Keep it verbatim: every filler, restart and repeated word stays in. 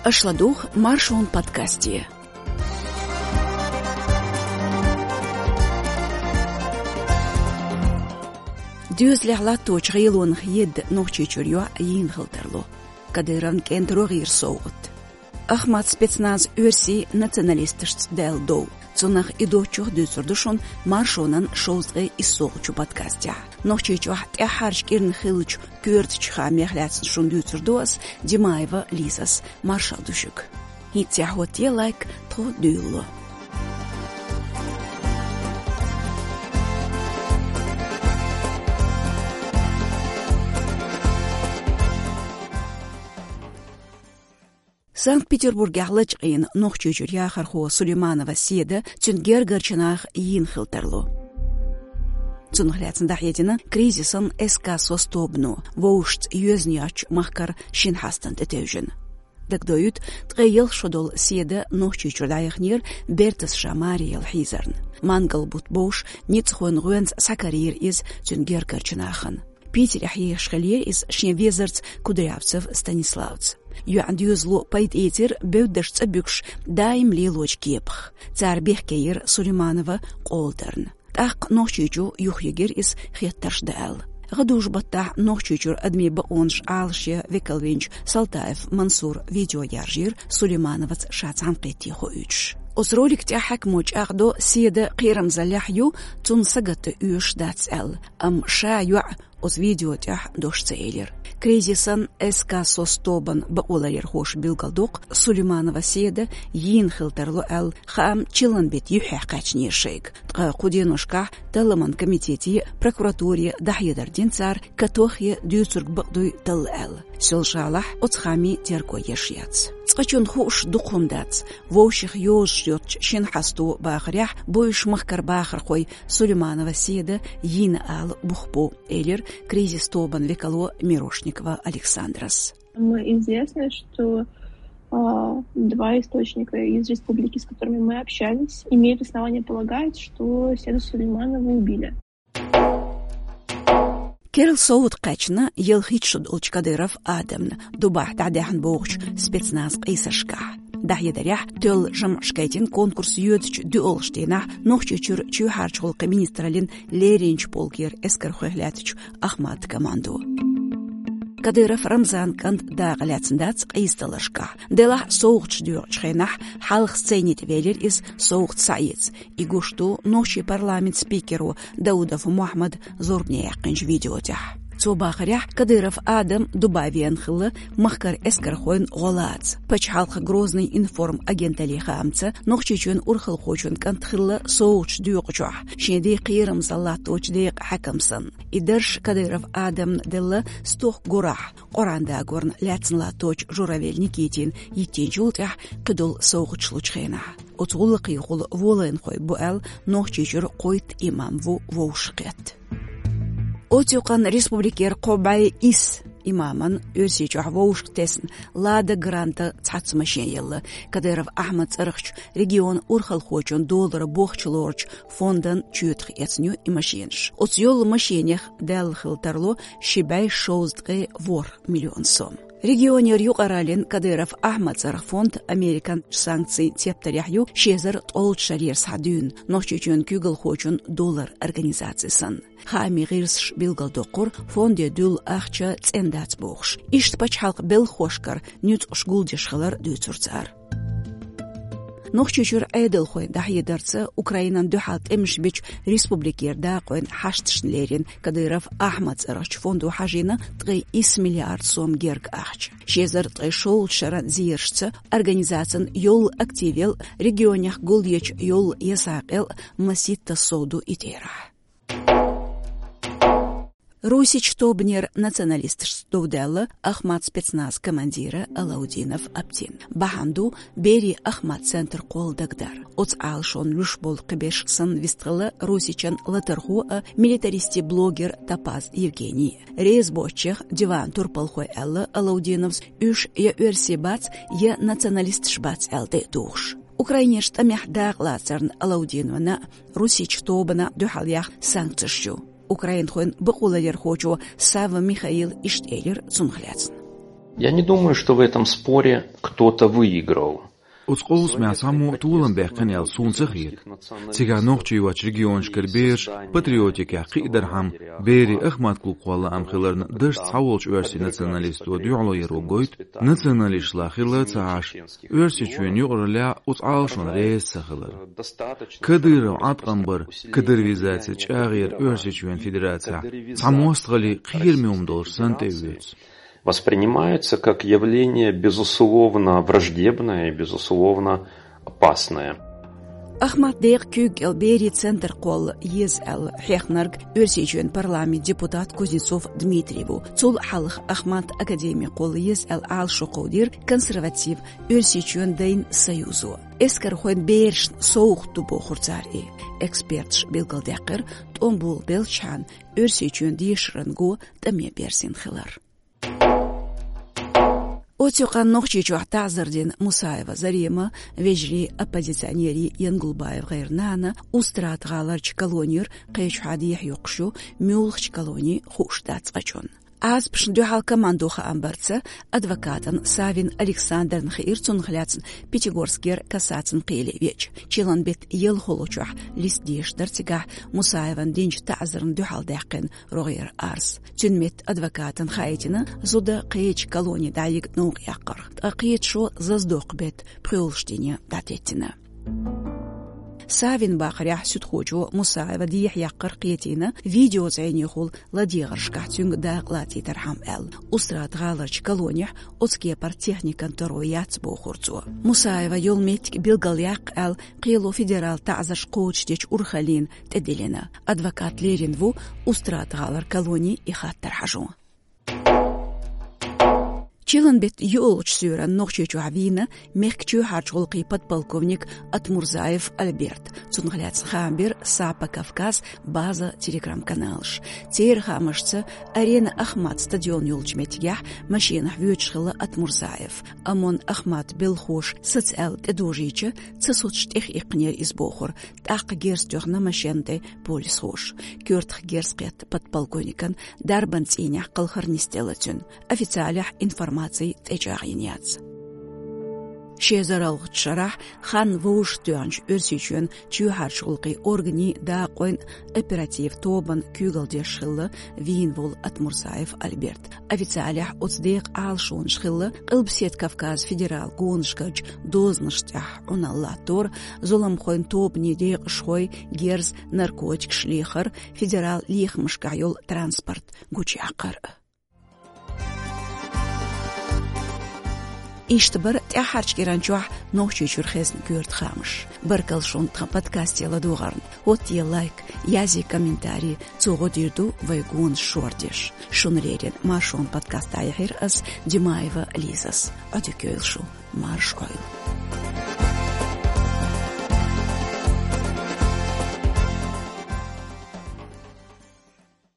Аша ладугӀу Маршон подкасте. Доьзалехь латточу гӀелонах едда Нохчийчуьра йоӀ йийна хила тарло. Кадыровн кӀентан рогӀера совгӀат. Ахмат спецназ оьрсийн националисташца даьлла дов. Цунах и доцчух дуьйцур ду шуна Маршонан шовзткъе иссалгӀачу подкастехь. Нохчийчохь тӀаьххьарчу кӀирнахь хиллачу коьртачу хаамех лаьцна шуна дуьйцур ду ас, Димаева Лизас. Маршалла ду шуьга. ХӀинццехь хӀоттае лайк, тхо дуьйлало. Санкт-Петербургехь лачкъийна Нохчийчуьра яхархо Сулейманова Седа цуьнан гергарчу наха йийна хила тарло. Цунах лаьцна дӀахьедина кризисан эс-касос тобано, вовшашца йоьзна йоцчу махкара шина хьастана тӀетевжина. Дагадоуьйту, ткъе ялх шо долу Седа Нохчийчуьра дӀаяханера бертас ша маре яла хьийзарна. Мангал-бутт бовш ницкъахойн гӀоьнца схьакарийра иза цуьнан гергарчу нахана. Питерехь ехаш хиллера иза шен везарца Кудрявцев Станиславца. ЙоьӀан доьзало пайда эцира бевддарш цӀа буьгуш даим лелочу кепах. Цара бехке йира Сулейманова къоладарна. ТӀаккха Нохчийчу юхайигира иза хеттарш дан аьлла. ГӀадужу-баттахь Нохчийчуьра адамийн бакъонаш Ӏалашъян векал винчу Салтаев Мансура видео яржийра Сулеймановаца ша цхьаьнакхетте хоуьйтуш. Оцу ролика тӀехь хьаькамо чӀагӀдо Седа кхерамзаллехь ю, цунна сагатдан оьшуш дац аьлла, амма ша йоӀ оцу видео тӀехь дош ца элира. Кризисан эс-касос тобан бакъоларъярхоша билгалдоккху Сулейманова Седа йийна хила тарло аьлла, хаам чиллан беттан юьххьехь кхаьчнера шайга. Ткъа кху деношкахь Талламан комитете а, прокуратуре а дӀахьедар дина цара, катох а дуьйцург бакъ дуй талла аьлла. Соьлжа-ГӀалахь оцу хаамийн терго еш яц. Цкъачунна хууш дукха хӀума дац. Вовшех йозуш йоцчу шина хьасто бахарехь бу уьш махкара бахархой Сулейманова Седа йийна ала бух бу, элира кризис тобан векало Мирошникова Александрас. Мы известно, что а, два источника из республики, с которыми мы общались, имеют основание полагать, что Седу Сулейманова убили. Керла совгӀат кхаьчна ялхитта шо долчу Кадыров Адамна, Дубайхь дӀадаьхьна бохучу спецназ къийсаршкахь. ДӀахьедарехь, тоьлла жамӀаш гайтина конкурс йоьдучу доьалгӀачу дийнахь Нохчийчуьра чоьхьарчу гӀуллакхийн министраллин леринчу полкера эскархойх лаьттачу Ахмат командо. Кадыров Рамзан кӀант дакъа лаьцна дац къийсадаларшкахь. Делахь совгӀаташ доькъучу хенахь хьалха сцени тӀе велира иза совгӀат схьаэца. И гуш ду нохчийн парламентан спикеро Даудов Мухьаммада зорбане яьккхинчу видео тӀехь. Цо бахарехь, Кадыров Адам Дубай веана хилла махкара эскархойн гӀо лаца. Пачхьалкхан Грозный информ агенталлин хаамца, Нохчийчоьнан урхалхочун кӀант хилла совгӀаташ доькъучохь, шен ден кхерамзалла латточу декъан хьаькам санна. И дарж Кадыров Адамна делла стохка гурахь, Къуръан дагорна лаьцна латточу Журавель Никитина йиттинчул тӀаьхьа кхидолу совгӀаташ лучу хенахь. Оцу гӀуллакхехула волайнахой бу аьлла, Нохчийчуьра кхойтта имам ву вовшахкхетта. Оцу юкъанна республикера кхо бӀе исс имаман Оьрсийчохь вовшахтесна «Лада Гранта» цхьацца машен елла. Кадыров Ахьмадан цӀарахчу регионан урхалхочун долара бохчалорчу фондан чоьтах эцна ю и машенаш. Оцу йолу машенех даьлла хила тарло ши бӀе шовзткъе ворхӀ миллион сом. Регионера юкъараллин Кадыров Ахьмадан цӀарах фонд Американ санкцийн тептарехь ю ши эзар ткъолгӀачу шарера схьа дуьйна. Нохчийчоьнан куьйгалхочун долара организаци санна. Хаамийн гӀирсаша билгалдоккхура, фонде дуьллу ахча цӀена дац бохуш. Иштта пачхьалкхан белхахошкара нуьцкъаш гулдеш хилар дуьйцура цара. Нохчийчуьра Ӏедалхойн дӀахьедарца, Украинан дуьхьал тӀемаш бичу республикера дакъойн хьашташна лерина Кадыров Ахьмадан цӀарахчу фондо хьажийна ткъе исс миллиард сом герга ахча. Ши эзар ткъе шолгӀачу шаран зерашца, организацин йолу активел, регионех гулъечу йолу ясакъел масийтта сов ду и терахь. Русичу тобанера националисташца дов даьлла Ахмат спецназ командира Алаудинов Аптин. Бахьана ду берийн Ахмат центр кхолла дагадар. Оцу Ӏалашонна луьш болу кхиберш санна вистхилла Русичан латархо а, милитаристийн блогер Топаз Евгений. Реза боцчех диван турпалхой аьлла Алаудиновс, уьш я оьрсий бац, я националисташ бац аьлла тӀе а тухуш. Украинерчу тӀамехь дакъалацарна Алаудиновна а, Русичу тобана а дуьхьал яхна санкцеш ю. Украинхойн бакъоларъярхочо Савва Михаила иштта элира цунах лаьцна. Я не думаю, что в этом споре кто-то выиграл. Оцу къовсамехь цхьаммо а толам баьккхина аьлла суна ца хета. Цигахь нохчий йоцчу регионашкара бераш патриотикехь кхиадархьама, берийн Ахмат-клубхойн лаам хиларна, дашца схьаволчу оьрсийн националисто дуьхьало яро гойту, националисташла хилла а ца Ӏаш, Оьрсийчоьнан юкъараллехь оцу Ӏалашонна реза ца хилар. Кадыров Ӏаткъам бар, кадыровизация чӀагӀъяр Оьрсийчоьнан Федерацехь цхьа мостагӀалле кхераме хӀума долуш санна тӀеоьцу. Воспринимается как явление, безусловно, враждебное и, безусловно, опасное. Ахмат декъан куьйга кӀел берийн центр кхолла еза аьлла хьехнарг Оьрсийчоьнан парламентан депутат Кузнецов Дмитрий ву. Цул хьалха Ахмат академи кхолла еза аьлла Ӏалашо кховдийра консерватив Оьрсийчоьнан дайн союзо. Эскархойн берашна совгӀат ду бохура цара и. Эксперташа билгалдаьккхира, тӀом болабелчхьана Оьрсийчоьнан дешаран го тӀаме берзина хилар. Оцу юкъанна Нохчийчохь таӀзар дина Мусаева Зарема, вежарий, оппозиционерий Янгулбаев ГӀайран нана, Устрада-ГӀаларчу колонера кхечухьа дехьа йоккхуш ю, муьлхачу колони хууш дац цкъачунна. Ӏазапашна дуьхьал командо хаам барца, адвокатна Савин Александрна хиира цунах лаьцна Пятигорскера кассацин кхеле веача. Чиллан беттан ялхолгӀачохь листа дешаш дара цигахь Мусаевна динчу таӀзарна дуьхьал даьккхина рогӀера арз. Цуьнан метта адвокатна хаийтина, зуда кхечу колоне дӀайига новкъа яккхарх, ткъа кхеташо зазадоккху беттан пхоьалгӀачу дине дӀатеттина. Савин бахарехь, суьдхочо Мусаева дехьа яккхар кхетийна, видеозӀенехула ладегӀаршкахь цуьнга дакъа лацийтархьама аьлла. Устрада-ГӀаларчу колонехь оцу кепара техникан таро яц бохура цо. Мусаева йолу меттиг билгалъяккха аьлла, кхело федералан таӀзарш кхочушдечу урхаллина тӀедиллина. Адвокат лерина ву Устрада-ГӀалара колоне и хаттар хьажо. Чиллан беттан йоьалгӀачу суьйранна Нохчийчохь вийна мехкан чоьхьарчу гӀуллакхийн подполковник Атмурзаев Альберт. Цунах лаьцна хаам бира «Сапа Кавказ» база телеграм-каналаш. Церан хаамашца, «Арена Ахмат» стадион йолчу меттигехь машинахь воьдуш хилла Атмурзаев. Амма Ахмат белхоша саца аьлла тӀедожийча, ца соцуш тӀехъиккхинера иза бохура, тӀаккха герз тоьхна машенна тӀе полисхоша. Коьртах герз кхетта подполковникан дарбан цӀийнехь кхалхар нисделла цуьнан. Официалехь информаци тӀечӀагӀйина яц. Ши эзар ялхалгӀачу шарахь хан вовшахтоьхначу Оьрсийчоьнан чоьхьарчу гӀуллакхийн органийн дакъойн оперативан тобанна куьйгалла деш хилла вийна волу Атмурзаев Альберт. Официалехь оцу декъан Ӏалашонаш хилла Къилбаседа Кавказан федералан гонашкарчу дозанаш тӀехь Ӏуналла латтор, зуламхойн тобанийн декъашхой, герз, наркотикаш лехар, федералан лехамашкахь йолу транспорт гучуяккхар. Иштта бара тӀаьххьарчу кӀиранчохь Нохчийчуьра хезна коьрта хаамаш. Баркалла шуна тхан подкасте ладогӀарна. ХӀоттае лайк, язъе комментарий, цо гӀо дийр ду вайн гонаш шордеш. Шуна леррина Маршонан подкаст дӀаяьхьира ас, Димаева Лизас. Ӏодика йойла шу, марша Ӏойла.